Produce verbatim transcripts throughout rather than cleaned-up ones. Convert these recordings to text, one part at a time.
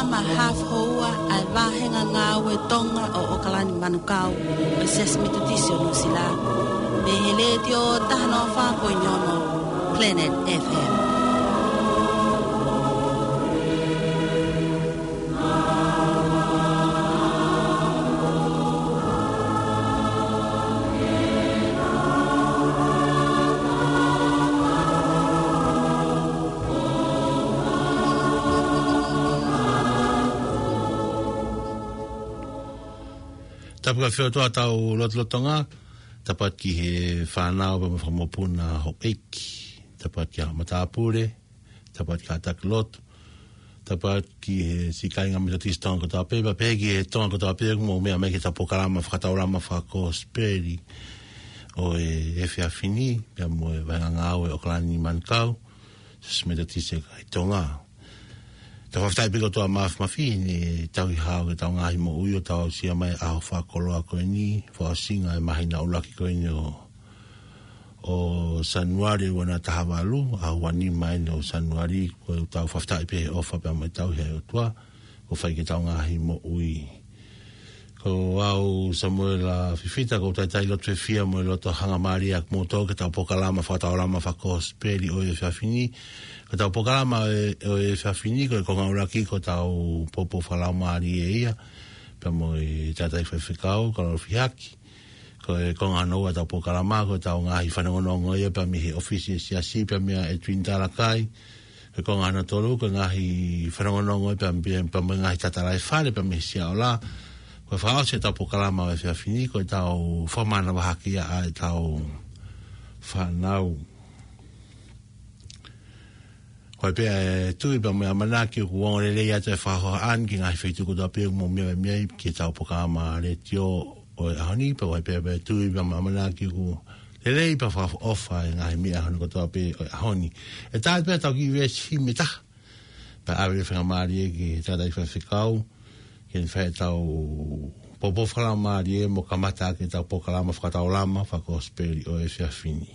Polokalama Hafoua ʻa e Vāhenga Ngāue Tonga ʻo ʻOkalani Manukau, ʻo e Siasi Metotisi ʻo Nuʻusila. Mei he Letiō taha noa fā poini ono Planet F M. Tapu ki he ʻOtua ʻi heʻetau lotolotonga, tapu atu ki he fānau pea mo e fanga mokopuna houʻeiki, tapu atu ki he matāpule, tapu atu ki he kātaki lotu, tapu atu ki he siʻi kāinga Metotisi Tonga kotoa pē, pea pehē ki he Tonga kotoa pē ʻoku mou meʻa mai ki heʻetau polokalama fakataulama fakakosipeli ʻo e efiafi ni, pea mo e Vāhenga Ngāue ʻo ʻOkalani Manukau, Siasi Metotisi ʻi Tonga. Tau fakafetaʻi pē ki he ʻOtua Māfimafi, ʻene tauhi hao ki heʻetau ngaahi moʻui ʻo tau aʻusia mai ʻa e ʻaho fakakoloa ko eni, fakaʻosinga e māhina ʻuluaki ko eni ʻo, ʻo Sānuali ua noa taha valu, ʻaho ua nima eni ʻo Sānuali, ko ʻetau fakafetaʻi pē he ʻofa pea mo e tauhi ʻa e ʻOtua, kuo fai ki heʻetau ngaahi moʻui. Ko au Samuela Fifita, ʻoku ou talitali loto fiefia mo e loto hangamālie ʻa kimoutolu ki heʻetau polokalama fakataulama fakakosipeli ʻo e efiafi ni. Ko ʻetau polokalama ʻo e, ʻo e efiafi ni, ko e konga ʻuluaki ko ʻetau poupou fakalaumālie ia, pea mo e tangataʻeiki faifekau, Kalolo Fihaki. Ko e konga hono ua ʻetau polokalama, ko ʻetau ngaahi fanongonongo ia, pea mei he ʻōfisi ʻo e siasi, pea meia Edwin Talakai. Ko e konga hono tolu, ko e ngaahi fanongonongo ia pea, pea, pea mo e ngaahi tatalaifale, pea mei he Siaola. Ko e fakaʻosi ʻetau polokalama ʻo e efiafi ni, ko ʻetau fakamanavahaki ia ʻa ʻetau fānau. Ko e pea e tui pea mo e ʻamanaki ʻoku ongo lelei atu e fakahohaʻa ni ki he ngaahi feituʻu kotoa pē ʻoku mou meʻa mai ai ki heʻetau polokalama letiō ʻo e ʻaho ni, pea ko e pea e tui pea mo e ʻamanaki ʻoku lelei pea fakaʻofa e ngaahi meʻa hono kotoa pē ʻo e ʻaho ni. ʻE tā pē ʻetau kiʻi veesi himi ʻe taha. Pea ʻave e faingamālie ki he tangataʻeiki faifekau, ke ne fai ʻetau poupou fakalaumālie mo kamata ʻaki ʻetau polokalama fakataulama fakakosipeli ʻo e efiafi ni.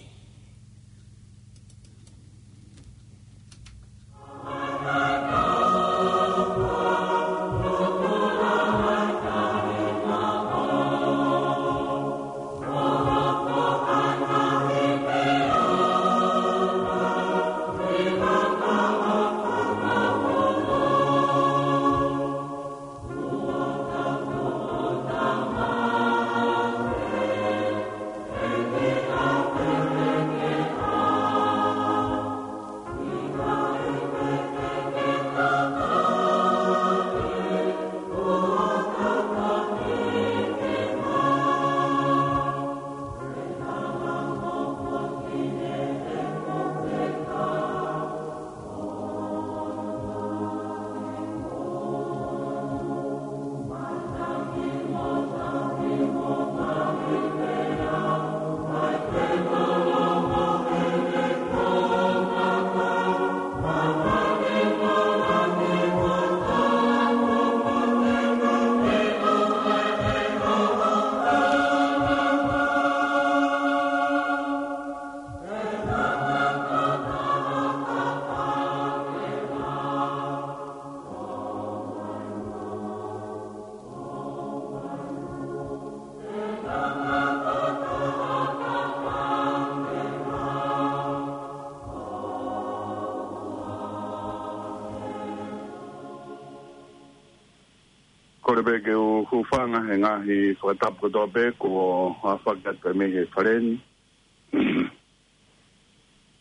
Kole pē ke u hūfanga he ngaahi fakatapu kotoa pē kuo ʻafaki atu mei he fale ni.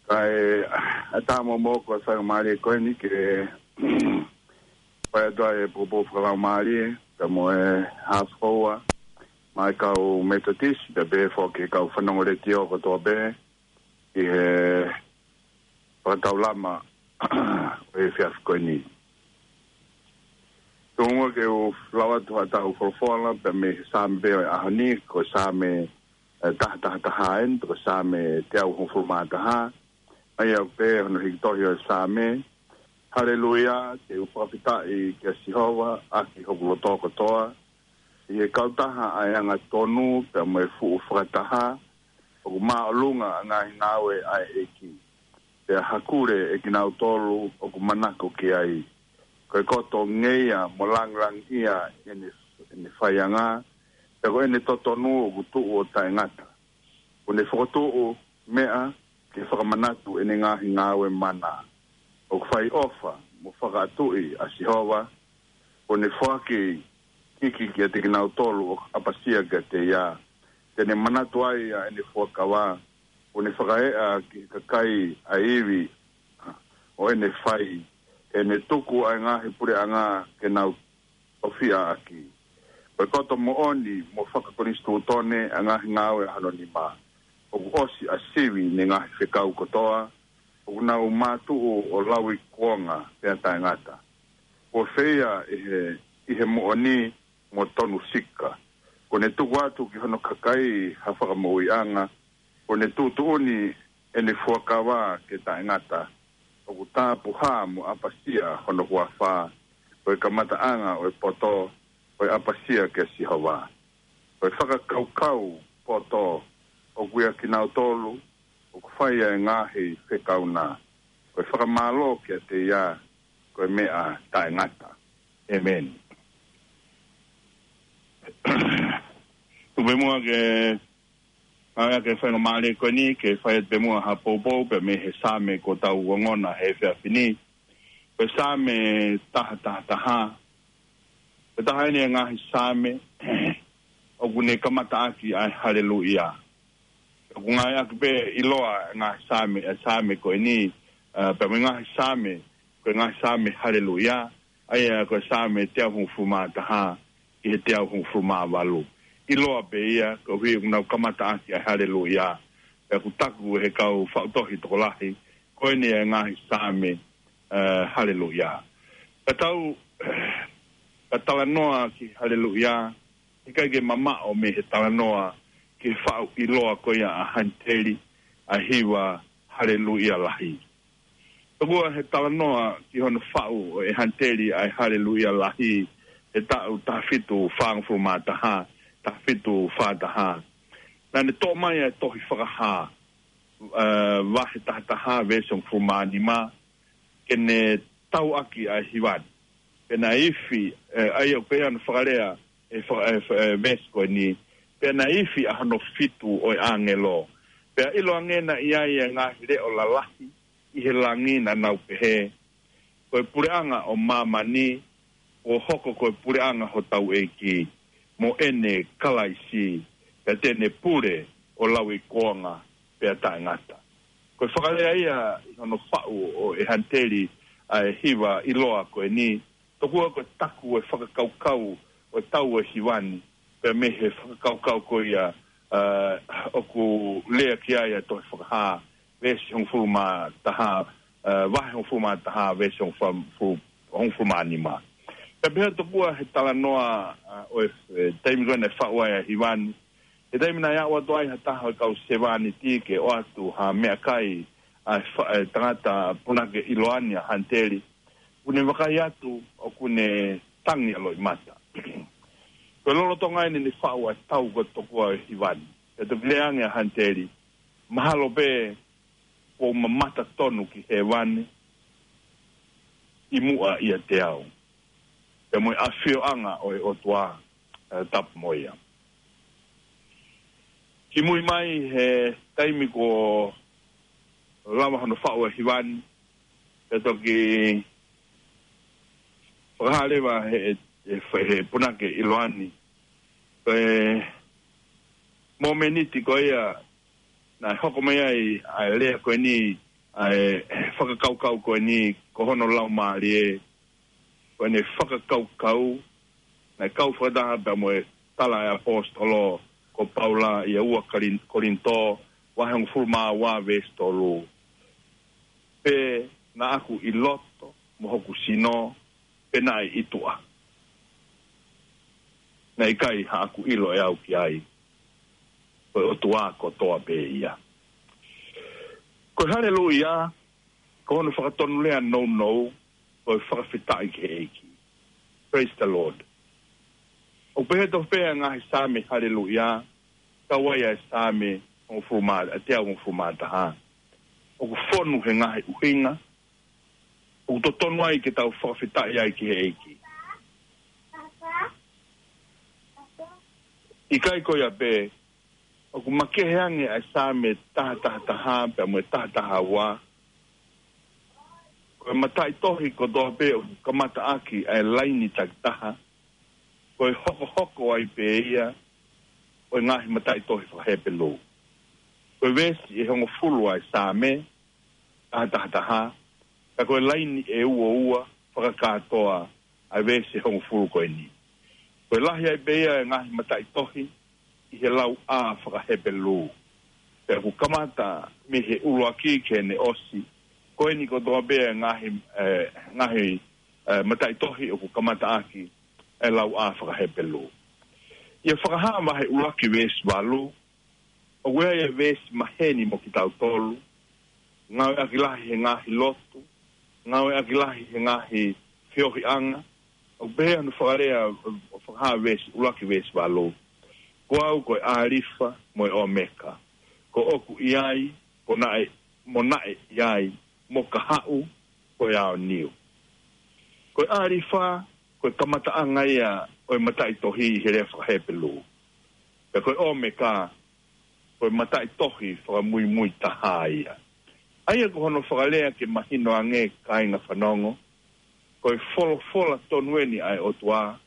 Kae ʻatā moʻoku ʻa e faingamālie ko eni ke fai atu ʻa e poupou fakalaumālie, pea mo e hafoua, maʻa e kau Metotisi, pea pehē foki ki he kau fanongo letiō kotoa pē, ʻi he fakataulama ʻo e efiafi ko eni. Tuku muʻa ke u lau atu haʻatau folofola, pea mei he Saame ʻo e ʻaho ni, ko e Saame, eh, taha taha taha eni, ko e Saame teau hongofulu mā taha. ʻA ia ʻoku pehē hono hiki tohi ʻo e Saame: Haleluia, te u fakafetaʻi kia Sihova, ʻaki hoku loto kotoa, ʻi he kautaha ʻa e angatonu, pea mo e fuʻu fakataha, ʻoku māʻolunga ʻa e ngaahi ngāue ʻa e ʻEiki. Pea hakule ʻe kinautolu ʻoku manako ki ai. Ko e koto ngeia mo langilangiʻia ʻene, ʻene faianga, pea ko ʻene totonu ʻoku tuʻu ʻo taʻengata. ʻOku ne fokotuʻu meʻa ke fakamanatu ʻene ngaahi ngāue mana. ʻOku fai ʻofa mo fakaʻatuʻi ʻa Sihova, ʻoku ne foaki hiki kiate kinautolu ʻoku ʻapasia kiate ia. Te ne manatu ai ʻa ʻene fuakava, ʻoku ne fakaeʻa ki he kakai ʻa e ivi ʻo ʻene fai. Te ne tuku ʻa e ngaahi puleʻanga ke nau tofiʻa ʻaki. Ko e koto moʻoni mo fakakonisitūtone ʻa e ngaahi ngāue ʻa hono nima. ʻOku ʻosi ʻa Sivi ni ngaahi fekau kotoa, ʻoku nau mātuʻu ʻo lauikuonga pea taʻengata. Kuo feia ʻi he, ʻi he moʻoni mo tonu sika. ʻOku ne tuku atu ki hono kakai ha fakamoʻuiʻanga, ʻoku ne tuʻutuʻuni ʻene fuakava ke taʻengata. ʻOku tāpuhā mo ʻapasia hono huafa, ko e kamataʻanga ʻo e poto, ko e ʻapasia kia Sihova. Ko e fakakaukau poto, ʻoku ʻia kinautolu ʻoku fai ʻa e ngaahi fekau na. Ko e fakamālō kiate ia, ko e meʻa taʻengata. ʻĒmeni. Tuku pē muʻa ke, ʻa ia ke fai ngā mālie ko eni, ke fai atu pē muʻa ha poupou, pea mei he Saame kuo tau ongona he efiafi ni. Ko e Saame taha taha taha. Ko e taha eni ʻa e ngaahi Saame, ʻoku ne kamata ʻaki ʻa e haleluia. ʻOku ngāueʻaki pē ʻiloa ʻa e ngaahi Saame, ʻa e Saame ko eni, ā, pea mo e ngaahi Saame, ko e ngaahi Saame haleluia, ʻa ia ko e Saame teau hongofulu mā taha ki he teau hongofulu mā valu. ʻIloa pē ia, koeʻuhi ʻoku nau kamata ʻaki ʻa e haleluia. Pea ʻoku taku ʻe he kau faʻu tohi tokolahi, ko eni ʻa e ngaahi Saame, ā, haleluia. Ka tau, ka talanoa ki haleluia, ʻikai ke mamaʻo mei he talanoa ki he faʻu ʻiloa ko ia ʻa Haniteli, ʻa e hiva haleluia lahi. Tokua he talanoa ki hono faʻu ʻe Haniteli ʻa e haleluia lahi, he taʻu taha fitu fāngofulu mā taha, taha fitu fā taha. Naʻa ne toʻo mai ʻa e tohi Fakahā, ā, vahe taha taha, veesi hongofulu mā nima, ke ne tau ʻaki ʻa e hiva ni. Pea naʻe ifi, ē, ʻa ia ʻoku pehē hono fakalea, ʻe fa-, ʻe fa-, ʻe veesi ko eni. Pea naʻe ifi ʻa hono fitu ʻo e ʻāngelo. Pea ʻiloange naʻe ʻi ai ʻa e ngaahi leʻo lalahi ʻi he langi naʻa nau pehē, Ko e puleʻanga ʻo māmani, kuo hoko ko e puleʻanga hotau ʻEiki, mo ʻene Kalaisi, pea te ne pule ʻo lauikuonga pea taʻengata. Ko e fakalea ia ʻi hono faʻu ʻe Haniteli ʻa e hiva ʻiloa ko eni, tokua ko e taku ʻo e fakakaukau ʻo e tau ʻo e hiva ni, pea mei he fakakaukau ko ia, ā, ʻoku lea ki ai ʻa e tohi Fakahā, veesi hongofulu mā taha, ā, vahe hongofulu mā taha, veesi hongofulu, hongofulu mā nima. Ka pehē tokua he talanoa, ā, ʻo e, e, taimi ko ē naʻe faʻu ai ʻa e hiva ni, he taimi naʻe aʻu atu ai ha taha ʻo e kau sevāniti ke ʻoatu ha meʻakai ʻa e fa-, e tangata punake ʻiloa ni ʻa Haniteli, ʻoku ne vakai atu ʻoku ne tangi ʻa e loʻimata. Ko e lolotonga eni ne faʻu ʻa e tau ko ē tokua ʻo e hiva ni, ʻe toki lea ange ʻa Haniteli, mahalo pē kuo u mamata tonu ki hēvani ʻi muʻa ʻiate au, pea mo e ʻafioʻanga ʻo e ʻOtua, ē, tapu mo ia. Kimui mai he taimi kuo lava hono faʻu ʻa e hiva ni, pea toki fakahā leva he, he, he punake ʻiloa ni, ko e mōmeniti ko ia naʻe hoko mai ai ʻa e lea ko eni, ʻa e fakakaukau ko eni, ko hono laumālie, ko ʻene fakakaukau, naʻe kau fakataha pea mo e tala ʻa e ʻaposetolo ko Paula ʻia ua Kalin-, Kolinitō, vahe hongofulu mā ua veesi tolu. Pe naʻa ku ʻi loto mo hoku sino, pe naʻe ʻi tuʻa, naʻe ʻikai haʻaku ʻilo ʻe au ki ai, ko e ʻOtua kotoa pē ia. Ko e haleluia, ko hono fakatonulea nounou, ko e fakafetaʻi ki he ʻEiki. Praise the Lord. ʻOku pehē tofu pē ʻa e ngaahi Saame haleluia, kau ai ʻa e Saame hongofulu mā, ʻa e teau hongofulu mā taha. ʻOku fonu he ngaahi ʻuhinga, ʻoku totonu ai ke tau fakafetaʻi ai ki he ʻEiki. ʻIkai ko ia pē, ʻoku makehe ange ʻa e Saame taha taha taha pea mo e taha taha ua. Ko e mataʻitohi kotoa pē ʻoku kamata ʻaki ʻa e laini takitaha, ko e hokohoko ai pē ia ʻo e ngaahi mataʻitohi fakaHepelū. Ko e veesi ʻe hongofulu ʻa e Saame taha taha taha, ka ko e laini ʻe ua ua fakakātoa ʻa e veesi ʻe hongofulu ko eni. Ko e lahi ai pē ia ʻa e ngaahi mataʻitohi ʻi he lau ʻā fakaHepelū. Pea ʻoku kamata mei he ʻuluaki ki heʻene ʻosi. Ko eni kotoa pē ʻa e ngaahi, ʻe, ngaahi, ʻe, mataʻitohi ʻoku kamata ʻaki ʻa e lau ʻā fakaHepelū. ʻI he Fakahā vahe ʻuluaki veesi valu, ʻoku ʻi ai e veesi maheni mo kitautolu, ngāueʻaki lahi he ngaahi lotu, ngāueʻaki lahi he ngaahi feohiʻanga, ʻoku pehē hono fakalea ʻo e Fakahā veesi, ʻuluaki veesi valu: Ko au ko e ʻĀlifa mo e ʻOmeka, ko ʻoku ʻi ai, ko naʻe, mo naʻe ʻi ai, mo kahaʻu, ko e aoniu. Ko e ʻĀlifa, ko e kamataʻanga ia ʻo e mataʻitohi ʻi he lea fakaHepelū. Pea ko e ʻOmeka, ko e mataʻitohi fakamuimui taha ia. ʻA ia ko hono fakalea ke mahino ange, kāinga fanongo, ko e folofola tonu eni ʻa e ʻOtua,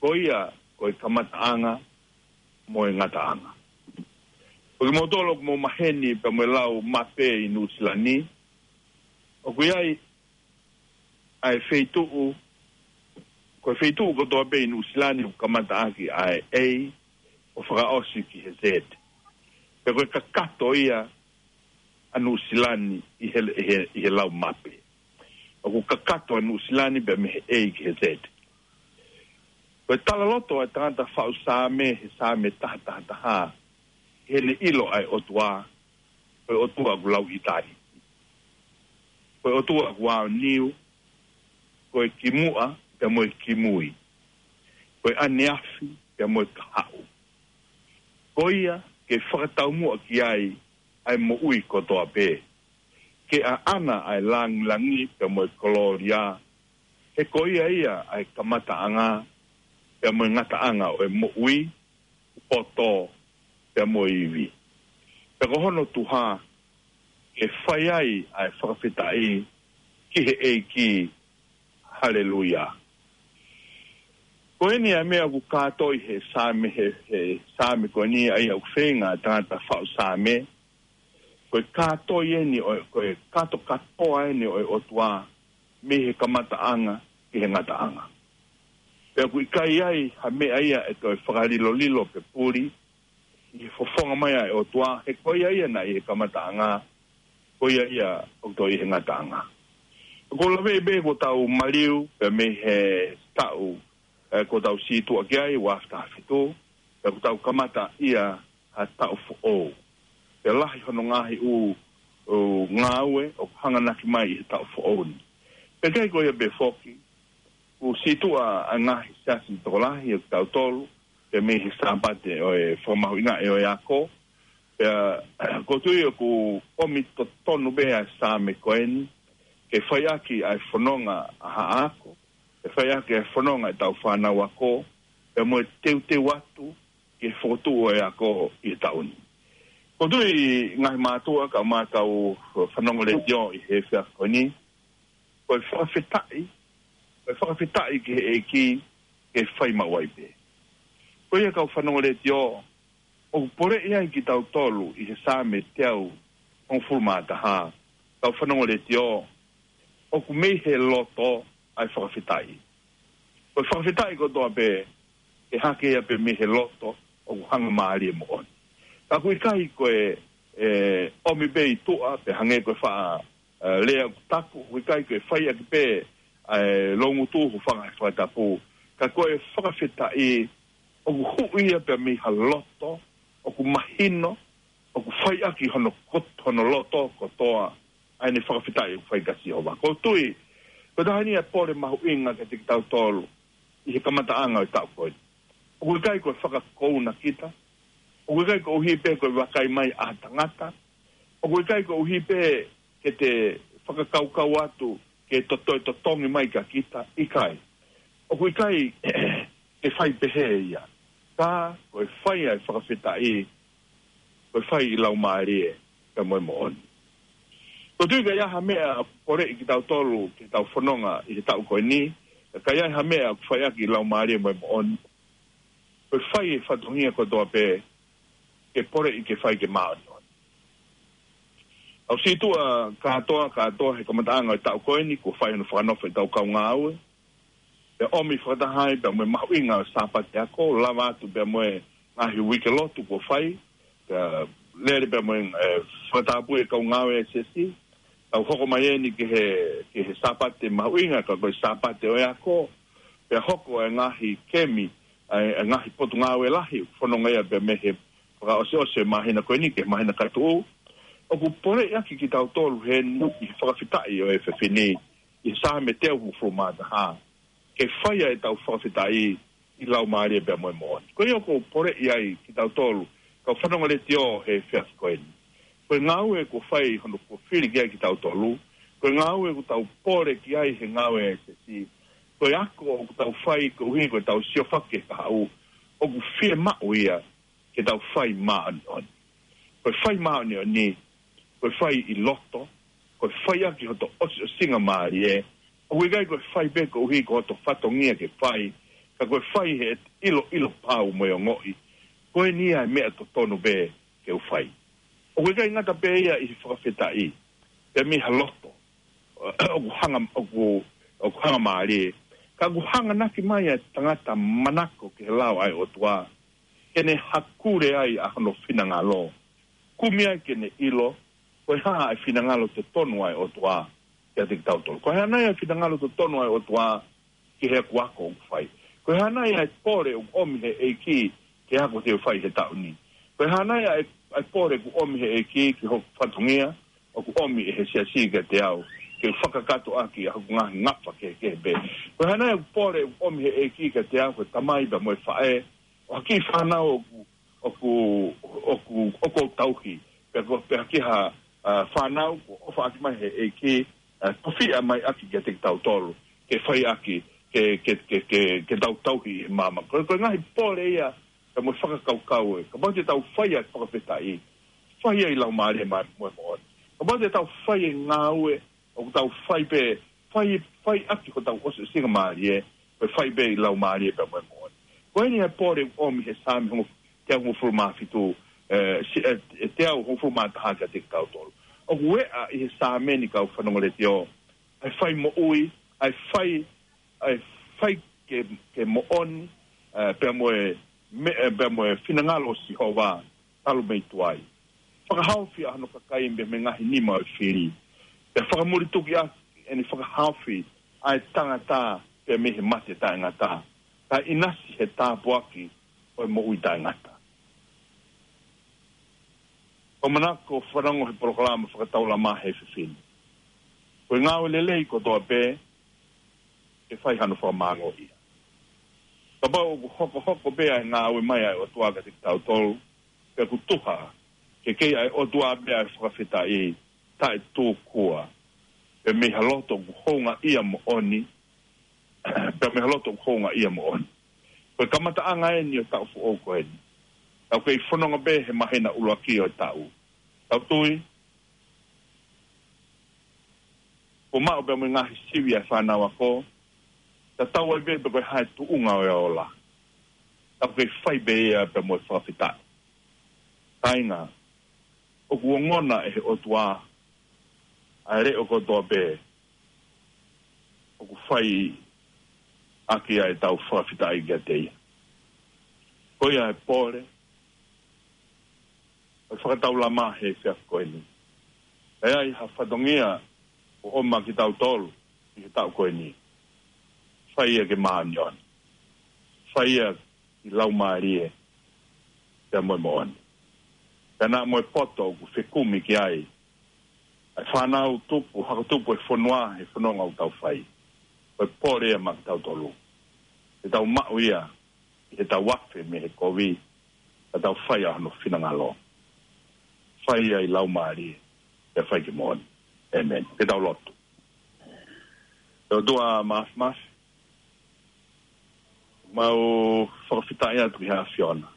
ko ia ko e kamataʻanga mo e ngataʻanga. Ko kimoutolu ʻoku mou maheni pea mo e lau mape ʻi Nuʻusila ni, ʻoku ʻi ai ʻa e feituʻu, ko e feituʻu kotoa pē ʻi Nuʻusila ni ʻoku kamata ʻaki ʻa e A ʻo fakaʻosi ki he Z. Pea ko e kakato ia ʻa Nuʻusila ni ʻi he, ʻi he, ʻi he lau mape. ʻOku kakato ʻa Nuʻusila ni pea mei he A ki he Z. Ko e talaloto ʻa e tangata faʻu Saame he Saame taha taha taha, heʻene ʻilo ʻa e ʻOtua, ko e ʻOtua ʻoku lauʻitāniti. Ko e ʻOtua ʻoku aoniu, ko e kimuʻa pea mo e kimui, ko e ʻaneafi pea mo e kahaʻu. Ko ia ke fakataumuʻa ki ai ʻa e moʻui kotoa pē, ke ʻaʻana ʻa e langilangi pea mo e kolōlia, he ko ia ia ʻa e kamataʻanga pea mo e ngataʻanga ʻo e moʻui, poto, pea mo e ivi. Pea ko hono tuha, ke fai ai ʻa e fakafetaʻi ki he ʻEiki. Haleluia. Ko eni ʻa e meʻa ʻoku kātoi he Saame, he, he Saame ko eni, ʻa ia ʻoku feinga ʻa e tangata faʻu Saame, ko e kātoi eni ʻo e, ko e kātokātoa eni ʻo e ʻOtua mei he kamataʻanga ki he ngataʻanga. Pea ʻoku ʻikai ai ha meʻa ia ʻe toe fakalilolilo pe puli ʻi he fofonga mai ʻa e ʻOtua, he ko ia ia naʻe ʻi he kamataʻanga, ko ia ia ʻoku toe ʻi he ngataʻanga. Ko e laveʻi pē kuo tau maliu pea mei he taʻu, ʻe, kuo tau sītuʻa ki ai, ua afe taha fitu, pea kuo tau kamata ia ha taʻu foʻou. Pea lahi hono ngaahi ʻū, ʻū ngāue ʻoku hanganaki mai ʻi he taʻu foʻou ni. Pea ʻikai ko ia pē foki, kuo sītuʻa ʻa e ngaahi siasi tokolahi ʻo kitautolu, pea mei he Sāpate ʻo e fakamahuʻingaʻi ʻo e ako. Pea, ʻoku ou tui ʻoku ʻomi totonu pē ʻa e Saame ko eni, ke fai ʻaki ʻa e fononga ʻa haʻa ako, ke fai ʻaki ʻa e fononga ʻetau fānau ako, pea mo e teuteu atu ki he fokotuʻu ʻo e ako ʻi he taʻu ni. ʻOku ou tui ngaahi mātuʻa kae ʻumaʻā kau fanongo letiō ʻi he efiafi ko eni, ko e fakafetaʻi, ko e fakafetaʻi ki he ʻEiki, ke fai maʻu ai pē. Ko ia kau fanongo letiō, ʻoku poleʻi ai kitautolu ʻi he Saame teau hongofulu mā taha, kau fanongo letiō, ʻoku mei he loto ʻa e fakafetaʻi. Ko e fakafetaʻi kotoa pē, ʻe hake ia pē mei he loto ʻoku hangamālie moʻoni. Ka ʻoku ʻikai ko e, ʻe, ʻomi pē ʻi tuʻa, pe hangē ko e faʻa, ʻe, lea ʻoku taku, ʻoku ʻikai ko e fai ʻaki pē ʻa e loungutu, hūfanga he fakatapu. Ka ko e fakafetaʻi ʻoku huʻi ia pē mei ha loto ʻoku mahino, ʻoku fai ʻaki hono kot-, hono loto kotoa ʻa ʻene fakafetaʻi ʻoku fai kia Sihova. ʻOku ou tui, ko e taha eni ʻa e pole mahuʻinga kiate kitautolu ʻi he kamataʻanga ʻo e taʻu ko eni. ʻOku ʻikai ko e fakakouna kita, ʻoku ʻikai koeʻuhi pē ko e vakai mai ʻa tangata, ʻoku ʻikai koeʻuhi pē ke te fakakaukau atu ke to-, toe totongi mai kia kita, ʻikai. ʻOku ʻikai ke fai pehē ia. Ka ko e fai ʻa e fakafetaʻi, ko e fai ʻi laumālie pea mo e moʻoni. Ko e tui ka ʻi ai ha meʻa ʻoku poleʻi kitautolu ke tau fononga ʻi he taʻu ko eni, ka ʻi ai ha meʻa ʻoku fai ʻaki ʻi laumālie mo e moʻoni, ko e fai e fatongia kotoa pē ke poleʻi ke fai ke māʻoniʻoni. ʻOku ou sītuʻa kātoa, kātoa he kamataʻanga ʻo e taʻu ko eni, kuo fai hono fakanofo ʻetau kau ngāue. Pea ʻomi fakataha ai pea mo e mahuʻinga ʻo e Sāpate Ako, lava atu pea mo e ngaahi uike lotu kuo fai, pea lele pea mo e, e, fakatapui e kau ngāue ʻa e siasi. Tau hoko mai eni ki he, ki he Sāpate mahuʻinga, ka ko e Sāpate ʻo e ako, pea hoko e ngaahi kemi, ʻa e, e ngaahi potungāue lahi, fononga ia pea mei he fakaʻosiʻosi e māhina ko eni ki he māhina ka tuʻu. ʻOku poleʻi ʻaki kitautolu heni ʻi he fakafetaʻi ʻo e efiafi ni, ʻi he Saame teau hongofulu mā taha, ke fai ʻa ʻetau fakafetaʻi ʻi laumālie pea mo e moʻoni. Ko ia ʻoku ou poleʻi ai kitautolu, kau fanongo letiō he efiafi ko eni. Ko e ngāue kuo fai hono kuo fili ki ai kitautolu, ko e ngāue ʻoku tau pole ki ai he ngāue ʻa e siasi, ko e ako ʻoku tau fai koeʻuhi ko ʻetau siofaki ki he kahaʻu, ʻoku fiemaʻu ia ke tau fai māʻoniʻoni. Ko e fai māʻoniʻoni, ko e fai ʻi loto, ko e fai ʻaki hoto ʻosiʻosinga mālie, ʻoku ʻikai ko e fai pē koeʻuhi ko hoto fatongia ke fai, ka ko e fai he ʻiloʻilo pau mo e ongoʻi ko eni ia e meʻa totonu pē ke u fai. ʻOku ʻikai ngata pē ia ʻi he fakafetaʻi, pea mei ha loto ʻoku hanga, ʻoku, ʻoku hanga mālie, ka ʻoku hanganaki mai ʻa e tangata manako ki he lao ʻa e ʻOtua, ke ne hakule ai ʻa hono finangalo, kumi ai ke ne ʻilo ko e hā ʻa e finangalo totonu ʻa e ʻOtua kiate kitautolu. Ko e hā nai ʻa e finangalo totonu ʻa e ʻOtua ki he ako ʻoku fai? Ko e hā nai ʻa e pole ʻoku ʻomi he ʻEiki ki he ako te u fai he taʻu ni? Ko e hā nai ʻa e, ʻa e pole ʻoku ʻomi he ʻEiki ki hoku fatongia ʻoku ʻomi ʻe he siasi kiate au, ke u fakakakato ʻaki ʻa hoku ngaahi ngafa kehekehe pē? Ko e hā nai ʻa e pole ʻoku ʻomi he ʻEiki kiate au, ko e tamai pea mo e faʻē, ʻo ha kiʻi fānau ʻoku, ʻoku, ʻoku, ʻoku ou tauhi, pe ko, pe ha kiʻi ha, ʻa, fānau kuo ʻofa ʻaki mai he ʻEiki, ʻa, tofiʻa mai ʻaki kiate kitautolu, ke fai ʻaki, ke, ke, ke, ke, ke tau tauhi ʻi māmani. Ko, ko e ngaahi pole ia, ka mo e fakakaukau ē. Kapau te tau fai ʻa e fakafetaʻi, fai ia ʻi laumālie mo e moʻoni. Kapau te tau fai e ngāue, ʻoku tau fai pē, fai, fai ʻaki hotau ʻosiʻosinga mālie, pe fai pē ʻi laumālie pea mo e moʻoni. Ko eni ʻa e pole ʻoku ʻomi he Saame hongo-, teau hongofulu mā fitu, ē, si-, ē, ē, teau hongofulu mā taha kiate kitautolu. ʻOku ʻi ai ʻi he Saame ni, kau fanongo letiō, ʻa e fai moʻui, ʻa e fai, ʻa e fai ke, ke moʻoni, ē, pea mo e, me-, ē, pea mo e finangalo ʻo Sihova, talu mei tuai. Fakahaofi ʻa hono kakai mei he ngaahi nima ʻo e fili. Pea fakamuli tuki ʻaki ʻene fakahaofi ʻa e tangata pea mei he mate taʻengata, kae ʻinasi he tāpuaki ʻo e moʻui taʻengata. ʻOku ou manako fanongo he polokalama Fakataulama he efiafi ni. Ko e ngāue lelei kotoa pē, ke fai hano fakamāngō ia. Kapau ʻoku hokohoko pē ʻa e ngāue mai ʻa e ʻOtua kiate kitautolu, pea ʻoku tuha ke kei ʻa e ʻOtua pē ʻa e fakafetaʻi, taʻetūkua, pea mei ha loto ʻoku houngaʻia moʻoni, pea mei ha loto ʻoku houngaʻia moʻoni. Ko e kamataʻanga eni ʻo e taʻu foʻou ko eni. Tau kei fononga pē he māhina ʻuluaki ʻo e taʻu. Tau tui, kuo maʻu pē mo e ngaahi sivi ʻa e fānau ako, tatau ai pē pe ko e hā e tuʻunga ʻo e ola. Tau kei fai pē ia pea mo e fakafetaʻi. Kāinga, ʻoku ongona ʻe he ʻOtua ʻa e leʻo kotoa pē ʻoku fai ʻaki ʻa ʻetau fakafetaʻi kiate ia. Ko ia e pole ʻo e Fakataulama he efiafi ko eni. ʻE ʻi ai ha fatongia ʻoku ʻomai kitautolu ʻi he taʻu ko eni, fai ia ke māʻoniʻoni. Fai ia ʻi laumālie pea mo e moʻoni. Pea naʻa mo e poto ʻoku fekumi ki ai ʻa e fānau tupu, hako tupu ʻo e fonua he fononga ʻoku tau fai. Ko e pole ia maʻa kitautolu. Ke tau maʻu ia ʻi heʻetau afe mei he kovi, ka tau fai ʻa hono finangalo. Fai ia ʻi laumālie, pea fai ke moʻoni. ʻĒmeni. Ke tau lotu. ʻE ʻOtua Māfimafi, mau fakafetaʻi atu ki he ʻAfiona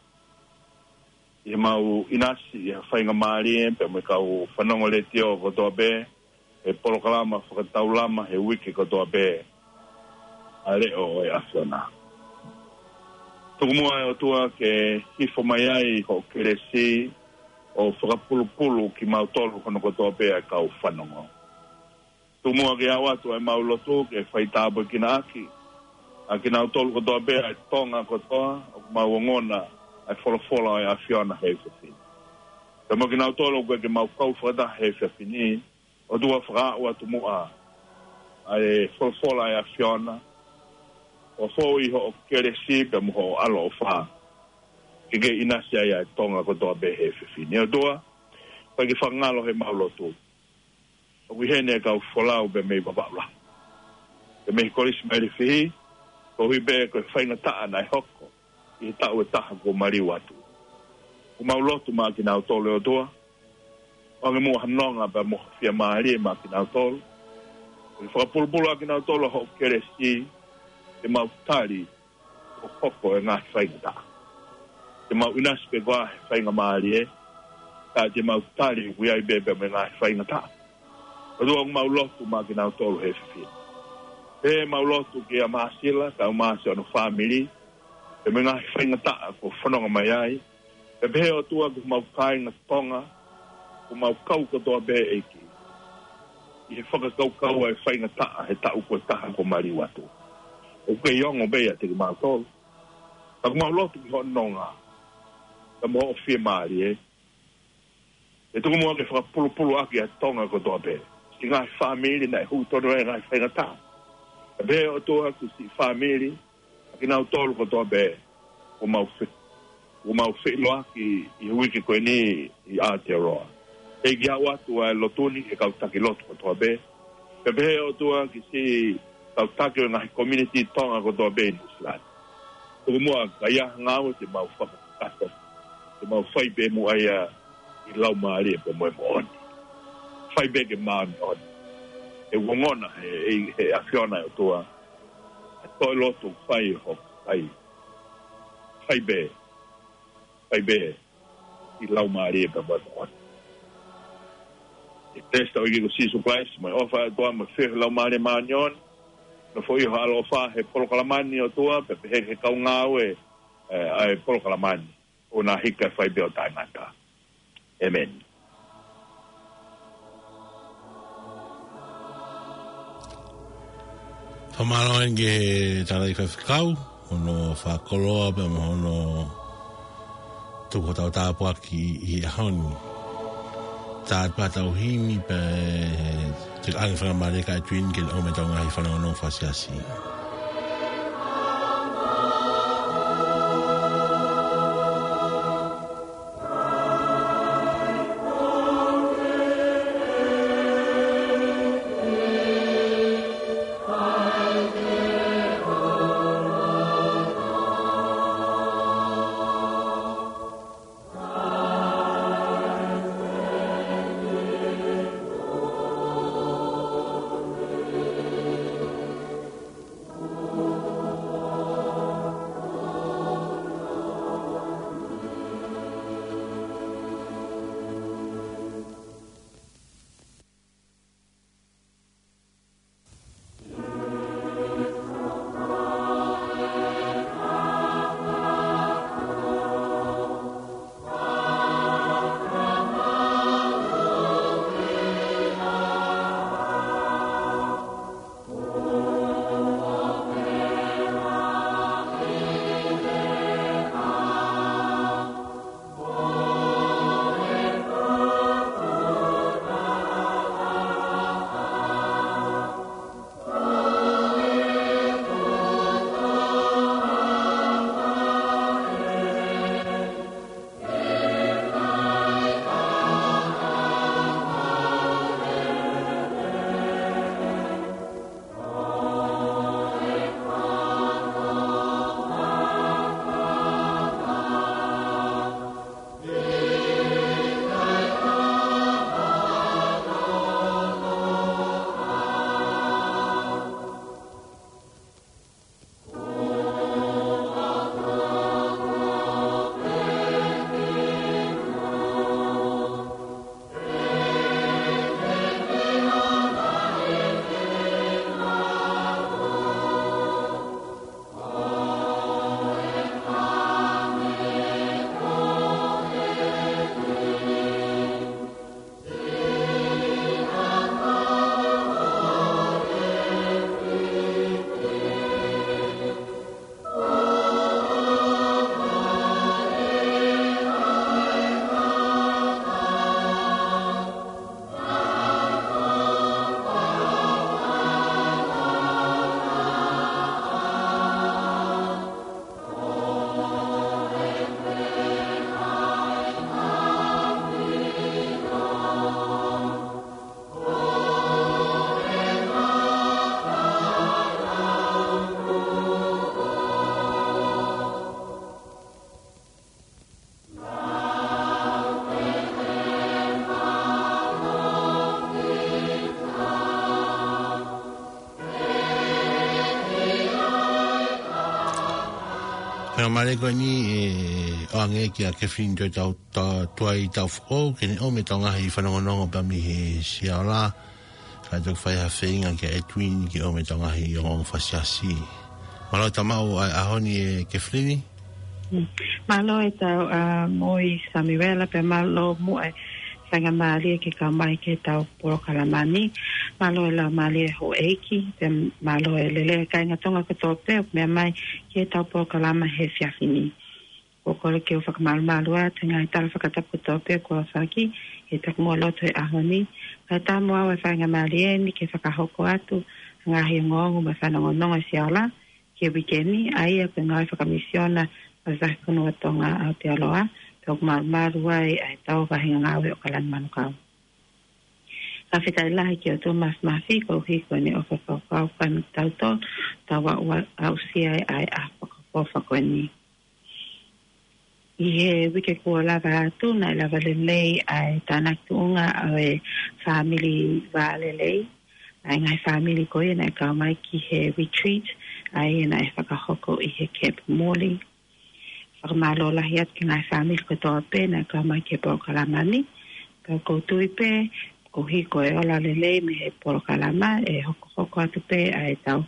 ʻi heʻemau ʻinasi ʻi he faingamālie pea mo e kau fanongo letiō kotoa pē he polokalama fakataulama he uike kotoa pē ʻa e Leʻo ʻo e ʻAfiona. Tuku muʻa ʻe ʻOtua ke hifo mai ai hoʻo kelesi ʻo fakapulupulu kimautolu hono kotoa pē ʻa e kau fanongo. Tuku muʻa ke ʻoatu ʻemau lotu ke faitāpuekina ʻaki ʻa kinautolu kotoa pē ʻa e Tonga kotoa ʻoku mau ongona ʻa e folofola ʻo e ʻAfiona he efiafi ni. Pea mo kinautolu ʻoku ʻikai ke mau kau fakataha he efiafi ni, ʻOtua, fakaaʻu atu muʻa ʻa e folofola ʻa e ʻAfiona, ʻo fou ʻi hoʻo kelesi pea mo hoʻo ʻaloʻofa ke ke ʻinasi ai ʻa e Tonga kotoa pē he efiafi ni. ʻOtua, ʻoku ʻikai ke fakangalo heʻemau lotu ʻoku ʻi heni e kau folau pea mei Vavaʻu Lahi pea mei he Kolisi Mailefihi, koeʻuhi pē ko e faingataʻa naʻe hoko ʻi he taʻu ʻe taha kuo maliu atu. ʻOku mau lotu maʻa kinautolu, ʻe ʻOtua, ʻoange muʻa ha nonga pea mo ha fiemālie maʻa kinautolu. Ke fakapulupulu ʻa kinautolu ʻa hoʻo kelesi, ke mau tali ʻo hoko e ngaahi faingataʻa. Ke mau ʻinasi pē koā he faingamālie, ka te mau tali ʻoku ʻi ai pē pea mo e ngaahi faingataʻa. ʻOtua, ʻoku mau lotu maʻa kinautolu he efiafi ni. Pea mau lotu kia Māsila, kau Māsi hono fāmili, pea mo e ngaahi faingataʻa kuo fononga mai ai. Pea pehē, ʻOtua, ki homau kāinga Tonga, ʻoku mau kau kotoa pē, ʻEiki, ʻi he fakakaukau ʻa e faingataʻa he taʻu ko e taha kuo maliu atu. ʻOku kei ongo pē ʻiate kimautolu. Ka ʻoku mau lotu ki hoʻo nonga pea mo hoʻo fiemālie, ʻe tuku muʻa ke fakapulupulu ʻaki ʻa Tonga kotoa pē. Siʻi ngaahi fāmili naʻe hū tonu ai e ngaahi faingataʻa. Pea pehē, ʻOtua, ki siʻi fāmili, ʻa kinautolu kotoa pē kuo mau fe-, kuo mau feʻiloaki ʻi he uike ko eni ʻi Aotearoa. ʻEiki, ʻoatu ʻa e lotu ni ki he kau taki lotu kotoa pē. Pea pehē, ʻOtua, ki siʻi kau taki ʻo e ngaahi community Tonga kotoa pē ʻi Nuʻusila ni. Tuku muʻa ka ʻi ai ha ngāue te mau fakakakato, te mau fai pē muʻa ia ʻi he laumālie pea mo e moʻoni. Fai pē ke māʻoniʻoni. ʻOku ongona he, he, he ʻAfiona, ʻe ʻOtua, ʻa e toe lotu fai ho fai. Fai pē, fai pē ʻi he laumālie pea mo e moʻoni. ʻI he kelesi ʻa e ʻEiki ko Sīsū Kalaisi, mo e ʻofa ʻa e ʻOtua, mo e feohi ʻa e Laumālie Māʻoniʻoni, nofoʻia ho ʻaloʻofa he polokalama ni, ʻe ʻOtua, pea pehē ki he kau ngāue, ē, ʻa e polokalama ni, ʻo na hika fai pē ʻo taʻengata. ʻĒmeni. Fakamālō ange ki he tangataʻeiki faifekau, hono fakakoloa pea mo hono tuku hotau tāpuaki ʻi he ʻaho ni. Tā atu pē hotau himi pea te u ʻoange fakamālō kia Edwin ke ne ʻomai ʻetau ngaahi fanongonongo fakasiasi. Mālō ko eni ʻoange kia Kefilini Tuaitau, ta-, Tuaitaufoʻou, ke ne ʻomai ʻetau ngaahi fanongonongo pea mei he Siaola. Kae toki fai ha feinga kia Edwin ke ʻomai ʻetau ngaahi ongoongo fasiasi. Mālō e tau maʻu ʻa e ʻaho ni ʻe Kefilini. Mm. Mālō e tau, ʻa, moʻui Samuela pea mālō muʻa e faingamālie ke kau mai ki heʻetau polokalama ni. Mālō e laumālie houʻeiki, pea mālō e lelei kāinga Tonga kotoa pē ʻoku meʻa mai ki heʻetau polokalama he efiafi ni. ʻOku ou kole ke u fakamālō atu he ngaahi tala fakatapu kotoa pē kuo aofaki he taku mo loto he ʻaho ni. Kae ʻatā mo au e faingamālie ni ke fakahoko atu ha ngaahi ongoongo mo e fanongonongo ʻa e Siaola ki he uike ni, ʻa ia ko e ngāue fakamisiona ʻa e Vahefonua Tonga ʻAotearoa, pea ʻoku malumalu ai ʻa e tau vahenga ngāue ʻo ʻAokalani Manukau. Fakafetaʻi lahi ki he ʻOtua Māfimafi koeʻuhi ko ʻene ʻofa fakakaukau kia kitautolu, tau aʻu, aʻusia ai ʻa e ʻaho fakaʻofoʻofa ko eni. ʻI he uike kuo lava atu, naʻe lava lelei ʻa e tānaki tuʻunga ʻo e fāmili vālelei, ʻa e ngaahi fāmili ko ia naʻe kau mai ki he retreat, ʻa ia naʻe fakahoko ʻi he Camp Morley. Fakamālō lahi atu ki he ngaahi fāmili kotoa pē naʻe kau mai ki he polokalama ni. Pea ʻoku ou tui pē, koeʻuhi ko e ola lelei mei he polokalama, ʻe hokohoko atu pē ʻa e tau,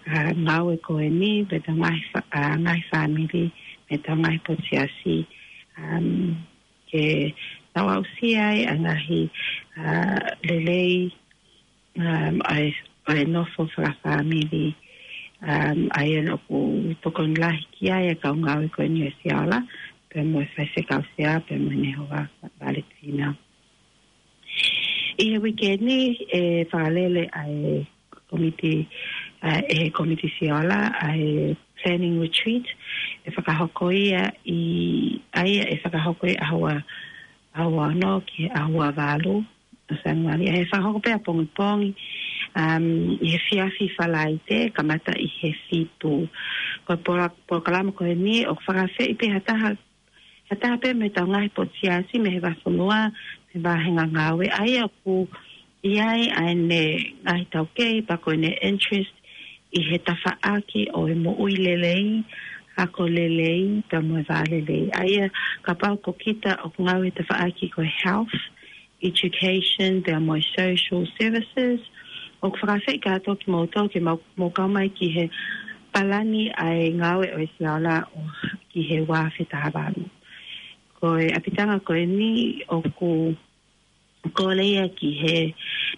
ʻa, ngāue ko eni, pea tau ngaahi fa-, ʻa, ngaahi fāmili, mei he tau ngaahi potu siasi, um, ke tau aʻusia ai ʻa e ngaahi, ʻa, lelei, um, ʻa e, ʻa e nofo fakafāmili, um, ʻa ia ʻoku tokoni lahi ki ai ʻa e kau ngāue ko eni ʻo e Siaola, pea mo e faifekau sea, pea mo e Nehova Valetina. ʻI he uike ni ʻe fakalele ʻa e komiti, ʻa e komiti Siaola, ʻa e planning retreat, ʻe fakahoko ia ʻi, ʻa ia ʻe fakahoko ʻi he ʻaho ua, ʻaho ua ono ki he ʻaho ua valu ʻo Sānuali, ʻe fakahoko pē ʻapongipongi, um, ʻi he efiafi Falaite, kamata ʻi he fitu. Ko e polo-, polokalama ko eni, ʻoku fakaafeʻi pē ha taha, ha taha pē mei he tau ngaahi potu siasi mei he vahefonua, mei he vahenga ngāue, ʻa ia ʻoku ʻi ai ʻa ʻene ngaahi taukei, pea ko ʻene interest ʻi he tafaʻaki ʻo e moʻui lelei, ako lelei, pea mo e vālelei. ʻA ia kapau ko kita ʻoku ngāue he tafaʻaki ko e health, education, pea mo e social services, ʻoku fakaafeʻi kātoa kimoutolu ke mou, mou kau mai ki he palani ʻa e ngāue ʻo e Siaola ʻo ki he ua afe taha valu. Ko e ʻapitanga ko eni ʻoku kole ia ki he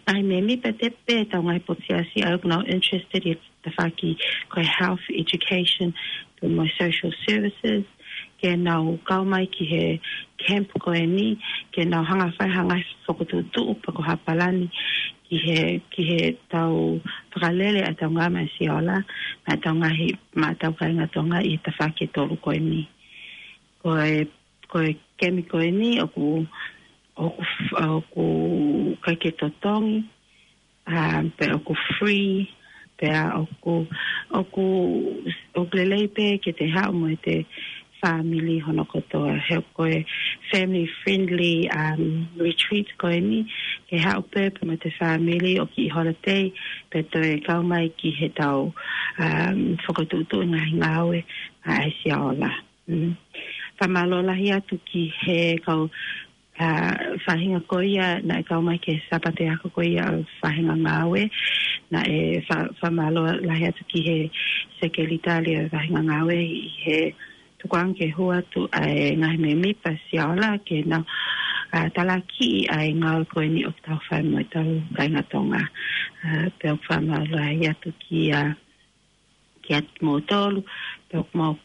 ngaahi mēmipa pē ʻo e tau ngaahi potu siasi ʻa ia ʻoku nau interested ʻi he tafaʻaki ko e health, education, pea mo e social services, ke nau kau mai ki he camp ko eni, ke nau hanga ʻo fai ha ngaahi fokotuʻutuʻu pe ko ha palani ki he, ki he tau fakalele ʻa e tau ngāue ʻa e Siaola, mo e tau ngaahi maʻa tau kāinga Tonga ʻi he tafaʻaki ʻe tolu ko eni. Ko e, ko e kemi ko eni ʻoku, ʻoku, ʻoku ʻikai ke totongi, ʻa, pea ʻoku free, pea ʻoku, ʻoku, ʻoku lelei pē ke te haʻu mo ʻete fāmili hono kotoa. He ko e family friendly, um, retreat ko eni, ke haʻu pē pea mo ʻete fāmili ʻo kiʻi holiday, pea toe kau mai ki he tau, um, fokotuʻutuʻu ngaahi ngāue ʻa e Siaola. Mm. Fakamālō lahi atu ki he kau, ʻa, faʻahinga ko ia naʻe kau mai ki he Sāpate ako ko ia ʻo e vahenga ngāue. Naʻe fa-, fakamālō lahi atu ki he sekelitali ʻo e vahenga ngāue ʻi he tukuange ke hū atu ʻa e ngaahi mēmipa Siaola ke nau, ʻa, talakiʻi ʻa e ngāue ko eni ʻoku tau fai mo e tau kāinga Tonga. ʻA, pea ʻoku fakamālō lahi atu ki, ʻa, kiate kimoutolu, pea ʻoku mau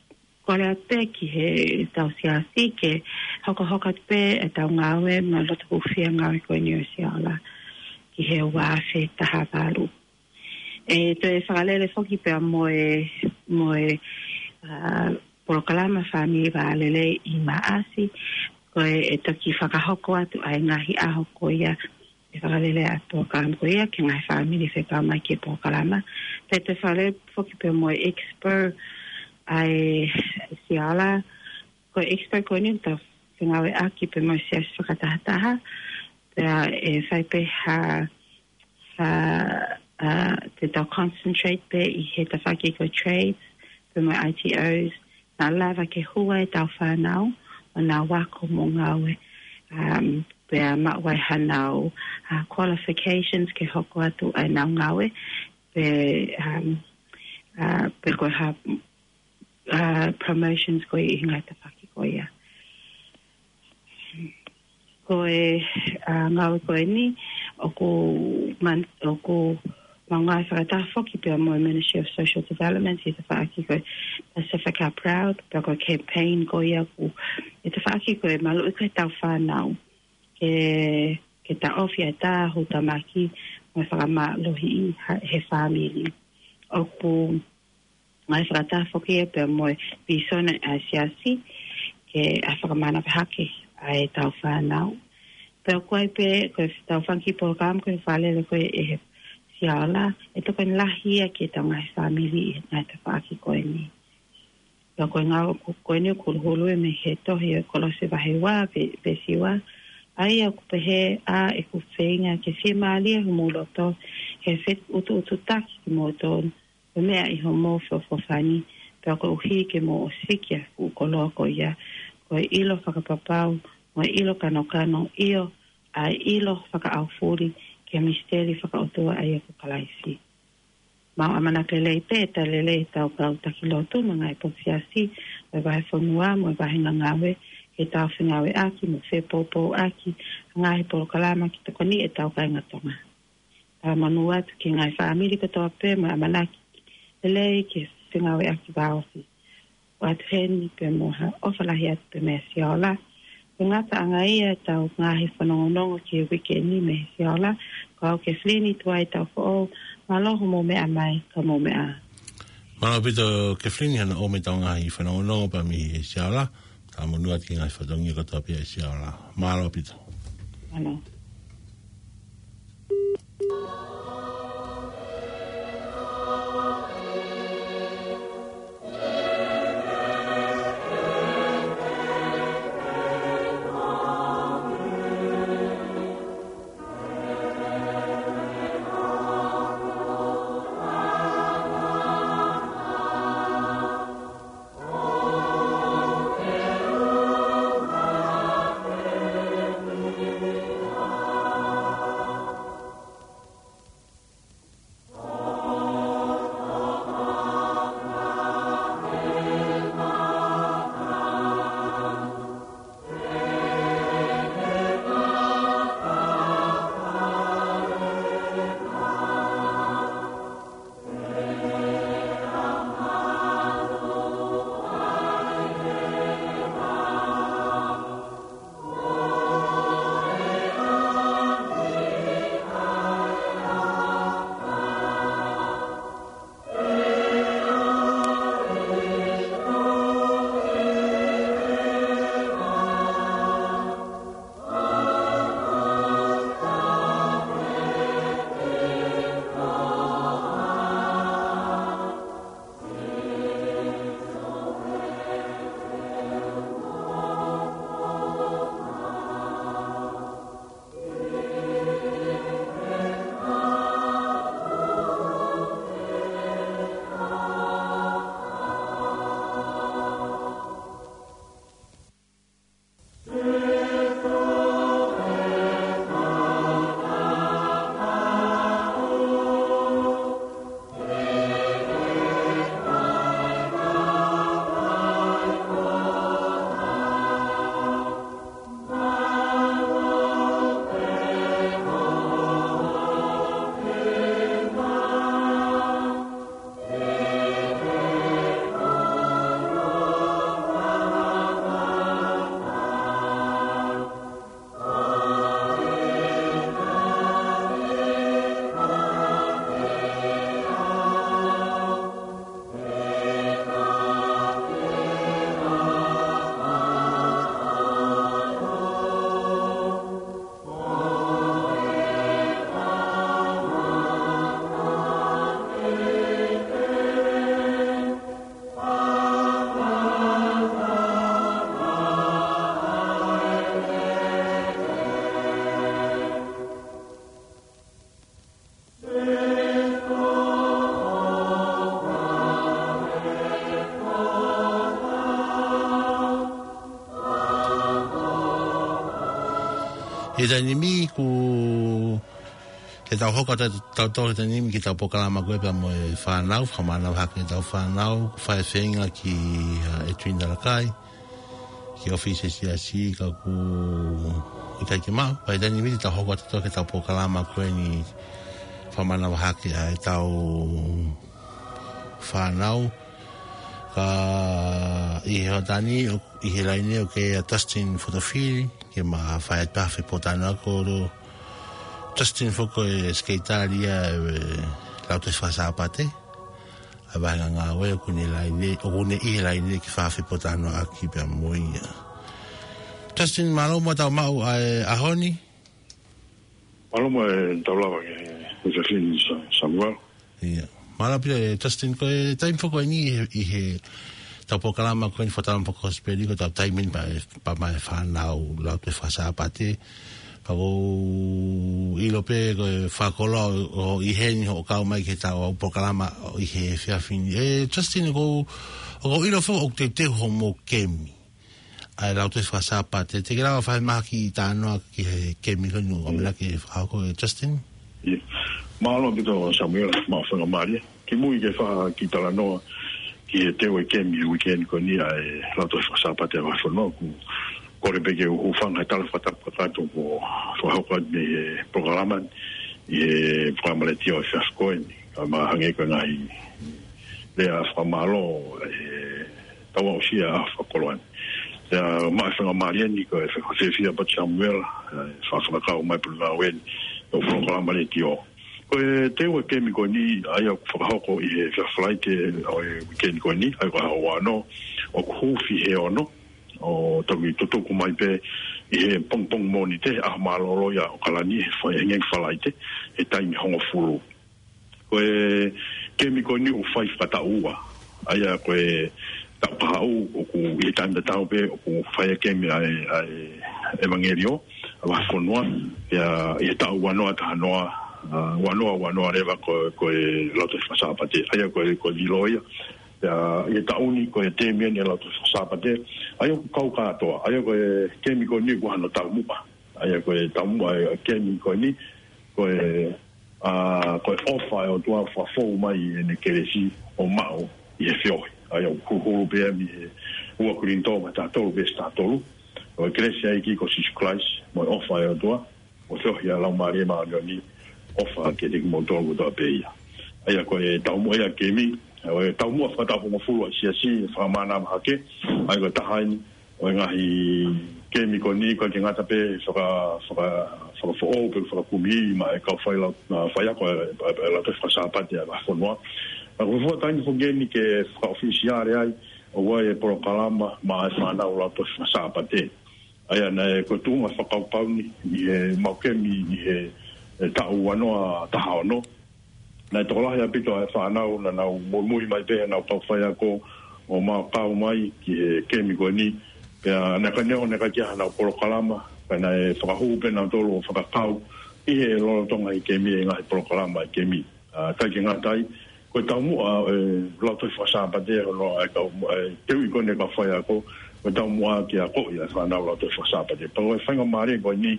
kole atu pē ki he tau siasi ke hokohoko atu pē ʻa e tau ngāue mo e loto hūfia ngāue ko eni ʻo e Siaola ki he ua afe taha valu. ʻE toe fakalele foki pea mo e, mo e, ʻa, polokalama fāmili vālelei ʻi Maʻasi, ko e, ʻe toki fakahoko atu ʻa e ngaahi ʻaho ko ia ʻe fakalele ʻa e polokalama ko ia ki he ngaahi fāmili fekau mai ki he polokalama. Pea toe fakalele foki pea mo e expo ʻa e Siaola, ko e expo ko eni ʻoku tau fengāueʻaki pea mo e siasi fakatahataha, pea ʻe fai pē ha, ha, ʻa, te tau concentrate pē ʻi he tafaʻaki ko e trades, pea mo e I T Os, naʻa lava ke hū ai ʻetau fānau ʻo nau ako mo ngāue, um, pea maʻu ai hanau, uh, qualifications ke hoko atu ai ʻenau ngāue, pe, um, uh, pe ko e hā, uh, promotions ko ia ʻi he ngaahi tafaʻaki ko ia. Ko e, uh, ngāue ko eni, ʻoku man-, ʻoku maʻu ngāue fakataha foki pea mo e Ministry of Social Development ʻi he tafaʻaki ko e Pacific Proud, pea ko e campaign ko ia ʻoku, ʻi he tafaʻaki ko e maluʻi ko ʻetau fānau ke, ke taʻofi ʻa e tāhutamaki mo e fakamālohiʻi ha-, he fāmili. ʻOku ngāue fakataha foki ia pea mo e vīsone ʻa e Siasi ke ʻai fakamanavahē hake ʻa ʻetau fānau. Pea ʻoku ʻi ai pē, ko ʻetau fanga kiʻi polokalama ko e fakalele ko ē ʻe he Siaola, ʻe tokoni lahi ia ki heʻetau ngaahi fāmili ʻi he ngaahi tafaʻaki ko eni. Pea ko e ngāue ko, ko eni ʻoku huluhulu ia mei he tohi ʻo Kolose vahe ua, ve-, veesi ua. ʻA ia ʻoku pehē, ʻa ʻeku feinga ke fiemālie homou loto, he feʻutuʻutaki kimoutolu, ko e meʻa ʻi homou feʻofoʻofani, pea koeʻuhi ke mou ʻosiki ʻa e fuʻu koloa ko ia, ko e ʻilo fakapapau, mo e ʻilo kanokano, ʻio, ʻa e ʻilo fakaʻaufuli ki he misiteli fakaʻotua ʻa ia ko Kalaisi. Mau ʻamanaki lelei pē ʻe tali lelei ʻetau kau taki lotu mo e ngaahi potu siasi ʻo e vahefonua mo e vahenga ngāue, ke tau fengāueʻaki mo fepoupouʻaki ʻa e ngaahi polokalama ke tokoniʻi ʻetau kāinga Tonga. Talamonū atu ki he ngaahi fāmili kotoa pē mo e ʻamanaki lelei ke fengāueʻaki vāofi. ʻOatu heni pē mo ha ʻofa lahi atu pē mei he Siaola. Ko e ngataʻanga ia ʻetau ngaahi fanongonongo ki he uike ni mei he Siaola. Ko au Kefilini Tuʻi Taufoʻou, mālō hoʻomou meʻa mai, ka mou meʻa ā. Mālō ʻaupito Kefilini hono ʻomai ʻetau ngaahi fanongonongo pea mei he Siaola. Talamonū atu ki he ngaahi fatongia kotoa pē ʻa e Siaola. Mālō ʻaupito. Mālō. ʻI he taimi ni ʻoku, ke tau hoko atu, tau tō he taimi ni ki heʻetau polokalama ko ē pea mo e fānau, fakamanavahake ʻetau fānau, fai e feinga ki, ʻa, ʻEtuini Talakai, ki he ʻōfisi ʻa e siasi ka ʻoku ʻikai ke maʻu, pea ʻi he taimi ni tau hoko atu ki heʻetau polokalama ko eni fakamanavahake ʻa ʻetau fānau, ka ʻi he hoʻatā ni, ʻo, ʻi he laine ʻoku ʻi ai ʻa Justin Fotofili, ke ma fai atu ha fepotalanoaʻaki. Ko Justin foki ko e sekelitali ia ʻo e Lautohi Fakasāpate ʻa e vahenga ngāue, ʻoku ne ʻi he laine, ʻoku ne ʻi he laine ke fai ha fepotalanoaʻaki pea mo ia. Justin, mālō muʻa ʻetau maʻu ʻa e ʻaho ni. Mālō muʻa ʻetau lava ki he, ki he fini Sa-, Samuela. Ia. Mālō pē, ʻe Justin, ko e taimi foki ko eni ʻi he, ʻi heʻetau polokalama ko eni fakatalanoa fakakosipeli, ko ʻetau taimi eni pea, pea mo e fānau Lautohi Fakasāpate. Pea ʻoku ou ʻilo pē ko e fakakoloa ʻoku ʻi heni hoʻo kau mai ki heʻetau polokalama ʻi he efiafi ni. ʻE Justin, ʻoku ou, ʻoku ou ʻilo foki ʻoku teuteu hoʻomou kemi ʻa e Lautohi Fakasāpate. Te ke lava fai mai ha kiʻi talanoa ki he kemi ko eni ʻoku ʻamanaki ke fakahoko, ʻe Justin? Ia. Mālō ʻaupito Samuela, maʻu faingamālie. Kimui ke fai ha kiʻi talanoa ki he teu e kemi he uike ni ko eni ʻa e Lautohi Fakasāpate ʻa e Vahefonua, ʻoku kole pē ke u hūfanga he tala fakatapu kakato kuo fakahoko atu mei he polokalama ni, ʻi he polokalama letiō ʻi he efiafi ko eni. Kae ʻumaʻā hangē ko e ngaahi lea fakamālō, ʻe, tau aʻusia ʻa e fakakoloa ni. Pea maʻu e faingamālie ni ko e fakafiefia ʻaupito Samuela, ʻe, fakafakakau mai pulu ngāue ni, ʻo e polokalama letiō. Ko e teu e kemi ko eni, ʻa ia ʻoku fakahoko ʻi he efiafi Falaite ʻo e uike ni ko eni, ʻa ia ko e ʻaho uaono, ʻoku huufi he ono, ʻo toki tutuku mai pē ʻi he pongipongi Mōnite, ʻaho mālōlō ia ʻo ʻAokalani, he fai, he ngaahi Falaite, he taimi hongofulu. Ko e kemi ko eni ʻoku fai fakataʻu ua. ʻA ia ko e taʻu kahaʻu ʻoku ʻi he taimi tatau pē ʻoku fai e kemi ʻa e, ʻa e ʻevangeliō ʻa e Vahefonua. Pea ʻi he taʻu ua noa taha noa, ʻa, ua noa ua noa leva ko, ko e Lautohi Fakasāpate. ʻA ia ko e, ko e lilo ia. Pea ʻi he taʻu ni ko e temi eni e Lautohi Fakasāpate. ʻA ia ʻoku kau kātoa. ʻA ia ko e kemi ko eni ʻoku ʻi ai hano taumuʻa. ʻA ia ko e taumuʻa e kemi ko eni, ko e, ʻa, ko e ʻofa ʻa e ʻOtua fakafou mai ʻene kelesi ʻo maʻu ʻi he feohi. ʻA ia ʻoku huluhulu pē ia mei he ua Kolinitō vahe taha tolu veesi taha tolu. Ko e kelesi ʻa e ʻEiki ko Sīsū Kalaisi, mo e ʻofa ʻa e ʻOtua, mo e feohi ʻa e Laumālie Māʻoniʻoni, ʻofa kiate kimoutolu kotoa pē ia. ʻA ia ko e taumuʻa ia kemi, ʻa e taumuʻa fakataʻu hongofulu ʻa e siasi, fakamanavahake, ʻa ia ko e taha eni ʻo e ngaahi kemi ko eni, ʻikai ke ngata pē faka-, faka-, fakafoʻou pe fakakumi maʻa e kau failau-, ʻa, faiako ʻa e, ʻa e, ʻa e Lautohi Fakasāpate ʻa e Vahefonua. Ka ko e fuataimi foki eni ke fakaʻofisiale ai, ʻoku ʻi ai e polokalama maʻa e fānau Lautohi Fakasāpate. ʻA ia naʻe ko e tuʻunga fakakaukau ni ʻi heʻemau kemi ʻi he, he taʻu ua noa taha ono. Naʻe tokolahi ʻaupito ʻa e fānau naʻa nau muimui mai pē heʻenau kau faiako ʻo mau kau mai ki he kemi ko eni. Pea naʻe ʻikai neongo naʻe ʻikai ke ʻi ai haʻanau polokalama, ka naʻe fakahū pē nautolu ʻo fakakau ʻi he lolotonga ʻi he kemi, ʻi he ngaahi polokalama ʻi he kemi. ʻA, ʻikai ke ngata ai, ko e taumuʻa e Lautohi Fakasāpate, hono ʻai kau, ʻai teuʻi ko eni e kau faiako, ko e taumuʻa ke akoʻi ʻa e fānau Lautohi Fakasāpate. Pea ko e faingamālie ko eni,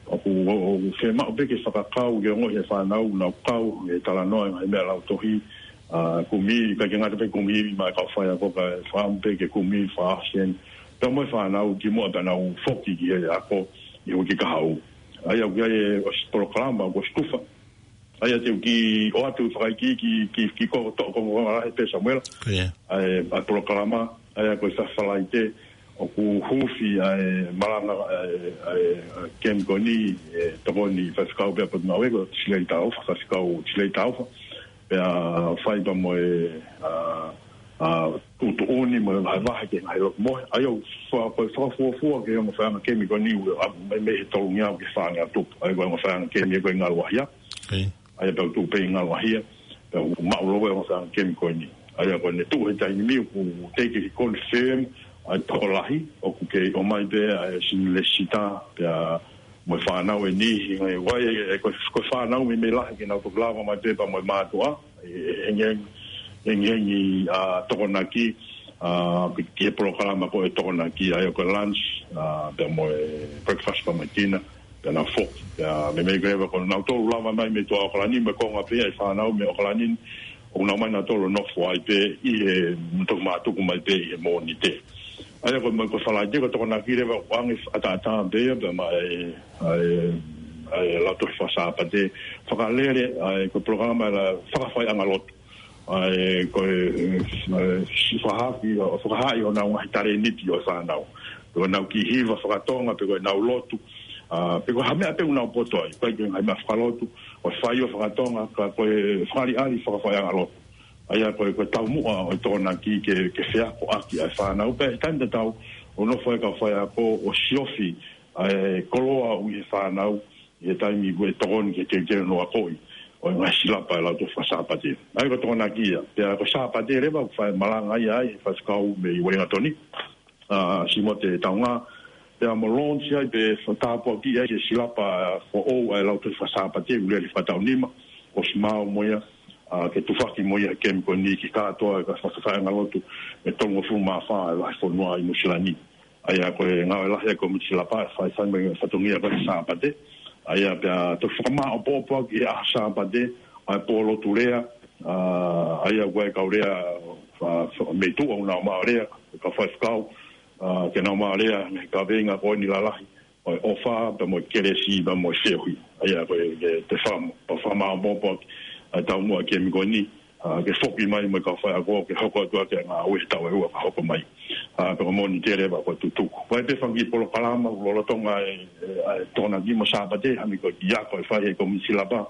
ʻoku, ʻo, ʻoku fiemaʻu pē ke fakakau, ke ongoʻi ʻe he fānau, nau kau, he talanoa, ngaahi meʻa lautohi, ʻa, kumi, ʻikai ke ngata pē kumi, maʻa e kau faiako, kae fakaʻamu pē ke kumi, fakaʻosi eni. Pea mo e fānau, kimuʻa pea nau foki ki he ako, ʻi he uike kahaʻu. ʻA ia ʻoku ʻi ai e ʻosi polokalama, ʻoku ʻosi tufa. ʻA ia te u kiʻi ʻoatu fakaikiiki ki, ki, ki ko toʻo ko ngā lahi pē Samuela. Ko ia. ʻA e, ʻa e polokalama, ʻa ia ko e Falaite, ʻoku huufi ʻa e malanga, ʻa e, ʻa e, ʻa e kemi ko eni, ʻe tokoni faifekau pē ʻa Potungāue ko Silei Taufa, faifekau Silei Taufa. Pea fai pea mo e, ʻa, ʻa, tuʻutuʻuni mo e vahevahe ki he ngaahi loki mohe. ʻA ia ʻoku fa-, ko e fakafuofua ki he ongo faiʻanga kemi ko eni ʻoku ʻalu mai mei he tolungeau ki he fāngeau tupu. ʻA ia ko e ongo faiʻanga kemi ko e Ngaluʻahia. Ko ia. ʻA ia pea u tuʻu pē ʻi Ngaluʻahia. Pea u maʻu leva e ongo faiʻanga kemi ko eni. ʻA ia ko ʻene tuʻu he taimi ni ʻoku teʻeki ke confirm ʻa e tokolahi, ʻoku kei ʻomai pē ʻa e senior letter, pea mo e fānau ʻe niʻihi, ngaahi ʻū, ʻa e, ko e, ko e fānau meimei lahi ke nau toki lava mai pē pea mo e mātuʻa, ʻe, ʻe, hengihengi, hengihengi, ʻa, tokonaki, ʻa, ki, ki he polokalama ko e tokonaki, ʻa ia ko e lunch, ʻa, pea mo e breakfast pea mo e dinner, Pea nau foki. Pea meimei ko ē ko nautolu lava mai mei tuʻa ʻAokalani, mei he konga pē ʻa e fānau mei ʻAokalani, ʻoku nau ō mai nautolu ʻo nofo ai pē ʻi he, toki mātuku mai pē ʻi he Mōnite. ʻA ia ko e, ko e Falaite ko e Tokonaki leva ʻoku ʻoange ʻataʻatā pē ia, pea maʻa e, ʻa e, ʻa e Lautohi Fakasāpate, fakalele, ʻa e ko e polokalama ʻa e fakafaiʻanga lotu. ʻA e ko e, ʻa e, si fakahaʻi, ʻo fakahaaʻi honau ngaahi talēniti ʻo e fānau. Pe ko ʻenau kiʻi hiva fakatonga, pe ko ʻenau lotu, ʻa, pe ko ha meʻa pē ʻoku nau poto ai, ʻikai ke ngaahi meʻa fakalotu, ʻo fai ʻo fakatonga, ka ko e fakaʻaliʻali fakafaiʻanga lotu. ʻA ia ko e, ko e taumuʻa ʻo e Tokonaki ke, ke feakoʻaki ʻa e fānau, pea ʻi he taimi tatau, ʻo nofo ai e kau faiako ʻo siofi ʻa e koloa ʻoku ʻi he fānau, ʻi he taimi ʻoku tokoni ke teuteu hono akoʻi ʻo e ngaahi silapa ʻa e Lautohi Fakasāpate. ʻA ia ko e Tokonaki ia. Pea ko e Sāpate leva ʻoku fai malanga ai ʻa e faifekau mei Uelingatoni, ʻa Simote Taunga. Pea mo launch ai pe tāpuakiʻi ai e silapa foʻou ʻa e Lautohi Fakasāpate, ʻoku lele fakataʻu nima, ʻosi maau mo ia, ʻa, ke tufaki mo ia he kemi ko eni ki he kātoa e kau fakafaiʻanga lotu ʻe tolungofulu mā fā ʻo e vahefonua ʻi Nuʻusila ni. ʻA ia ko e ngāue lahi ʻa e kōmiti silapa ʻe fai, fai mai e fatongia ko e Sāpate. ʻA ia pea toki fakamāʻopoʻopo ʻaki he ʻaho Sāpate ʻa e pō lotu lea, ʻa, ʻa ia ʻoku ʻi ai e kau lea, ʻa, ʻa, mei tuʻa ʻoku nau maʻu e lea, kau faifekau, ʻa, ke nau maʻu e lea he kaveinga ko eni lalahi ʻo e ʻofa, pea mo e kelesi, pea mo e feohi. ʻA ia ko e, ke te fam-, pea fakamāʻopoʻopo ʻaki ʻa e taumuʻa e kemi ko eni, ʻa, ke foki mai mo e kau faiako ke hoko atu ʻaki e ngāue he taʻu ʻe ua ka hoko mai. ʻA, pea ko e Mōnite leva ko e tutuku. Ko e pē fanga kiʻi polokalama ʻoku lolotonga e, e, ʻa e Tokonaki mo e Sāpate, hangē ko e kiʻi ako ʻe fai ʻe he kōmiti silapa,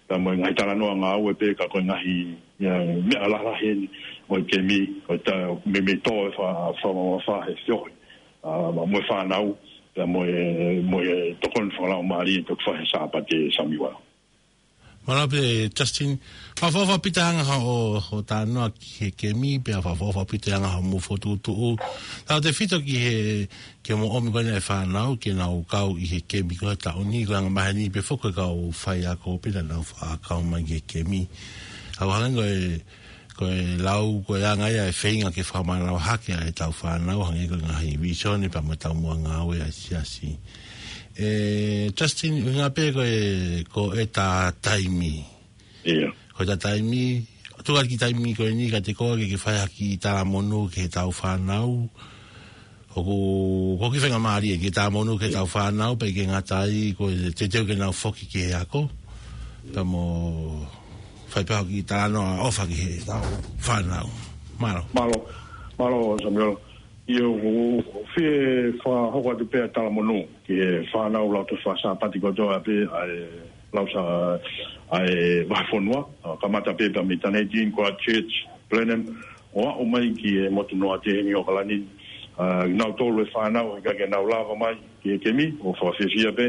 pea mo e ngaahi talanoa ngāue pē ka ko e ngaahi, ia, meʻa lalahi eni ʻo e kemi, ʻo e ta-, meimei tō e fa-, fa-, fa-, he feohi, ʻa, mo e fānau, pea mo e, mo e tokoni fakalaumālie ʻe toki fai he Sāpate, Samiuela. Mālō pē, Justin. Fakaʻofoʻofa ʻaupito e anga hoʻo, hoʻo talanoa ki he kemi, pea fakaʻofoʻofa ʻaupito e anga hoʻomou fokotuʻutuʻu. Tautefito ki he, ki hoʻomou ʻomi ko ena e fānau ke nau kau ʻi he kemi ko e taʻu ni, ko e anga maheni pē foki e kau faiako pē naʻa nau faʻa kau mai ki he kemi. ʻOku hangē ko e, ko e lau, ko e anga ia e feinga ke fakamānava hake ʻa ʻetau fānau, hangē ko e ngaahi vīsone pea mo e taumuʻa ngāue ʻa e siasi. ʻE, Justin, ʻuhinga pē ko e, ko ʻeta taimi. ʻIo. Ko ʻeta taimi, tuku atu e kiʻi taimi ko eni kiate koe ke, ke fai ha kiʻi talamonū ki heʻetau fānau. ʻOku, ʻoku ou kiʻi faingamālie ke talamonū ki heʻetau fānau, pea ʻikai ke ngata ai, ko e teuteu ke nau foki ki he ako. Pea mo fai pē ha kiʻi talanoa ʻofa ki heʻetau fānau. Mālō. Mālō, mālō, Samiuela. ʻIo, ʻoku ou fie fakahoko atu pē ʻa e talamonū ki he fānau Lautohi Fakasāpate kotoa pē ʻa e Lausa-, ʻa e vahefonua, ʻa, kamata pē pea mei Dunedin, Christchurch, Blenheim, ʻo aʻu mai ki he motunoa ʻi heni ʻAokalani, ʻa, nautolu e fānau, ʻikai ke nau lava mai ki he kemi, ʻoku fakafiefia pē,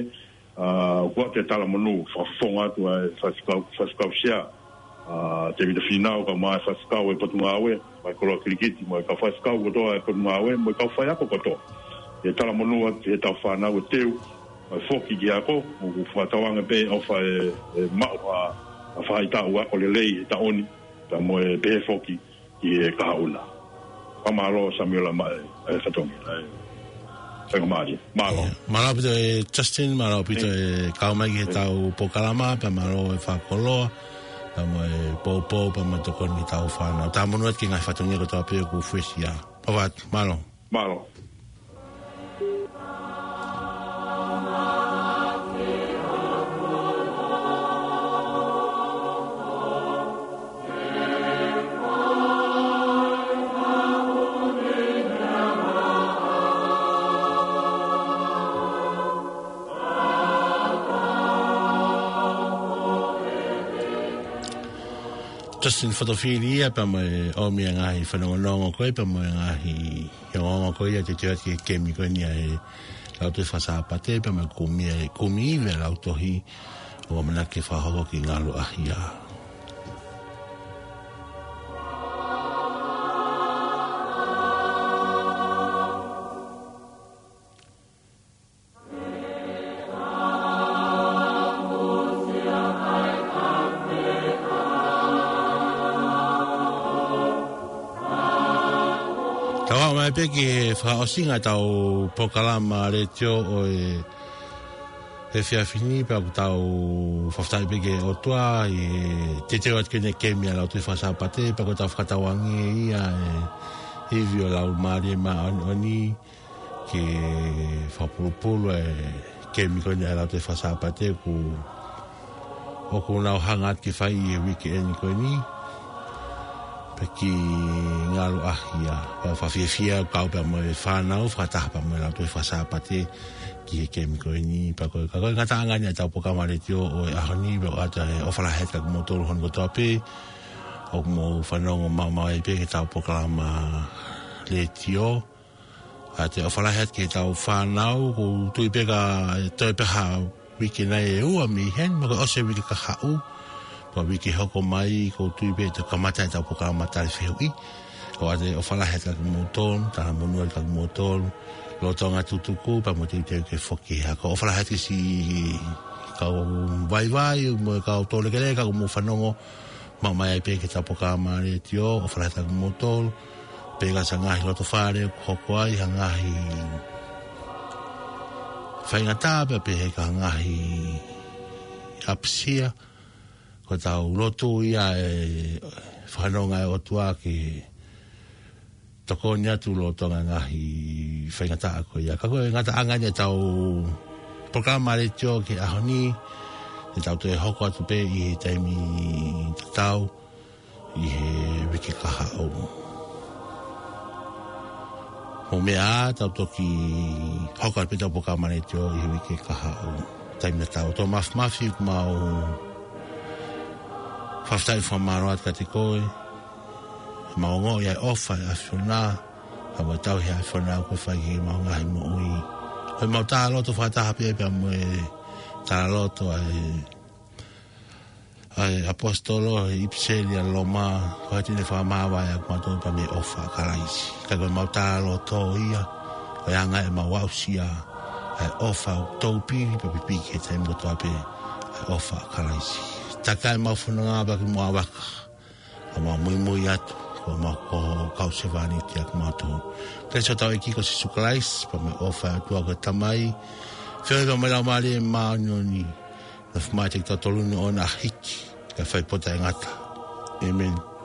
ʻa, ʻoku ʻoatu e talamonū, fakafofonga atu ʻa e faifekau, faifekau sea, ʻa, Tēvita Fīnau, kae ʻumaʻā e faifekau e Potungāue, mo e koloa kilikiti, mo e kau faifekau kotoa e Potungāue, mo e kau faiako kotoa. ʻE talamonū atu ki heʻetau fānau ʻe teu, ʻa e foki ki he ako, ʻoku fakatauange pē ʻofa ʻe, ʻe maʻu ha, ha faʻahitaʻu ako lelei he taʻu ni, pea mo e pehē foki ki he kahaʻu na. Fakamālō Samiuela maʻa e, e fatongia, ʻa e faingamālie. Mālō. ʻIo. Mālō ʻaupito e Justin, mālō ʻaupito e kau mai ki heʻetau polokalama, pea mālō e fakakoloa, pea mo e poupou, pea mo e tokoni ki heʻetau fānau. Talamonū atu ki he ngaahi fatongia kotoa pē ʻoku fuesia. ʻOfa atu, mālō. Mālō. Justin Fotofili ia pea mo e ʻomi e ngaahi fanongonongo ko ē, pea mo e ngaahi ongoongo ko ia ʻo e teuteu ki he kemi ko eni ʻa e Lautohi Fakasāpate, pea mo e kumi e, kumi ivi e lautohi ʻoku ʻamanaki ke fakahoko ki Ngaluʻahia. Tau aʻu mai pē ki he fakaʻosinga ʻetau polokalama letiō ʻo e He efiafi ni pea ʻoku tau fakafetaʻi pē ki he ʻOtua ʻi he teuteu atu ki heʻene kemi ʻa e Lautohi Faka-Sāpate, pea ko ʻetau fakatauange ia ʻe he ivi ʻo e Laumālie Māʻoniʻoni ke fakapulupulu e kemi ko eni ʻa e Lautohi Faka-Sāpate ʻoku, ʻoku nau hanga atu ki ai ʻi he uikeʻeni ko eni. Pea ʻoku ngalu ʻaupito ia, pea fakafiefia kau pea mo e fānau, fakataha pea mo e Lautohi Faka-Sāpate ki he kemi ko eni. Pea ko e, ka ko e ngataʻanga eni ʻetau polokalama letiō ʻo e ʻaho ni, pea ʻoku ʻoatu e ʻofa lahi atu kiate kimoutolu hono kotoa pē ʻoku mou fanongo maʻu mai pē ki heʻetau polokalama letiō. ʻOatu e ʻofa lahi atu ki heʻetau fānau, ʻoku ou tui pē ka toe pē ha uike nai ʻe ua mei heni, mo e ʻosi e uike kahaʻu. Ko e uike hoko mai, ʻoku ou tui pē te kamata ʻetau polokalama tali fehuʻi. ʻOatu e ʻofa lahi atu kiate kimoutolu, talamonū atu kiate kimoutolu, lolotonga tutuku, pea mo teuteu ke foki he ako. ʻOfa lahi atu ki siʻi kau vaivai, mo e kau tōlekeleka, ʻoku mou fanongo maʻu mai ai pē ki heʻetau polokalama letiō, ʻofa lahi atu kiate kimoutolu. Pea ka ai ha ngaahi loto fale ʻoku hoko ai ha ngaahi faingataʻa pea pehē ki ha ngaahi ʻapasia, ko ʻetau lotu ia e fakafanongo ʻa e ʻOtua ke tokoni atu lolotonga e ngaahi faingataʻa ko ia. Ka ko e ngataʻanga eni ʻetau polokalama letiō ki he ʻaho ni, te tau toe hoko atu pē ʻi he taimi tatau ʻi he uike kahaʻu. Mou meʻa ā, tau toki hoko atu pē ʻetau polokalama letiō ʻi he uike kahaʻu. Taimi tatau. Tō Mafimafi, ʻoku mau fakafetaʻi fakamālō atu kiate koe, mau ongoʻi ʻa e ʻofa ʻa e ʻAfiona, ʻa e tauhi ʻa e ʻAfiona ʻoku ke fai ki heʻemau ngaahi moʻui. ʻOku mau talaloto fakataha pē pea mo e talaloto ʻa e, ʻa e ʻaposetolo he ʻipiseli ʻa Loma, ko e ʻuhinga ʻene fakamāvae ʻa kimautolu pea mei he ʻofa ʻa Kalaisi. Ka ko ʻemau talaloto ia, ko e anga ʻemau aʻusia ʻa e ʻofa ʻoku toupili pea pipiki he taimi kotoa pē, ʻa e ʻofa ʻa Kalaisi. Takai ʻemau fononga pea ke mou ʻavaka. ʻOku mau muimui atu, ko homau, ko e kau sevāniti ʻa kimautolu. Ko e ʻEiki ʻo hotau ʻEiki ko Sīsū Kalaisi, pea mo e ʻofa ʻa e ʻOtua ko e Tamai, feohi pea mo e Laumālie Māʻoniʻoni, nofo maʻa kitautolu ni ʻo na hiki, kae fai pē ʻo taʻengata. ʻĒmeni.